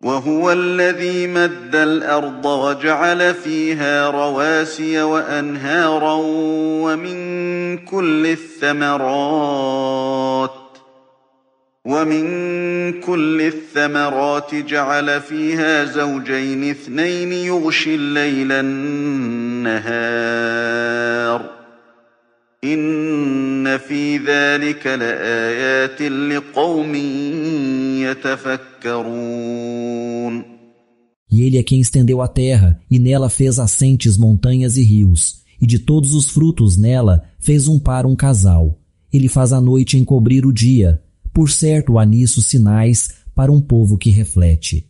وهو الذي مد الأرض وجعل فيها رواسي وأنهارا ومن كل الثمرات جعل فيها زوجين اثنين يغشي الليل النهار إن في ذلك لآيات لقوم يتفكرون. E ele é quem estendeu a terra, e nela fez assentes montanhas e rios, e de todos os frutos nela fez um par um casal. Ele faz a noite encobrir o dia. Por certo há nisso sinais para um povo que reflete.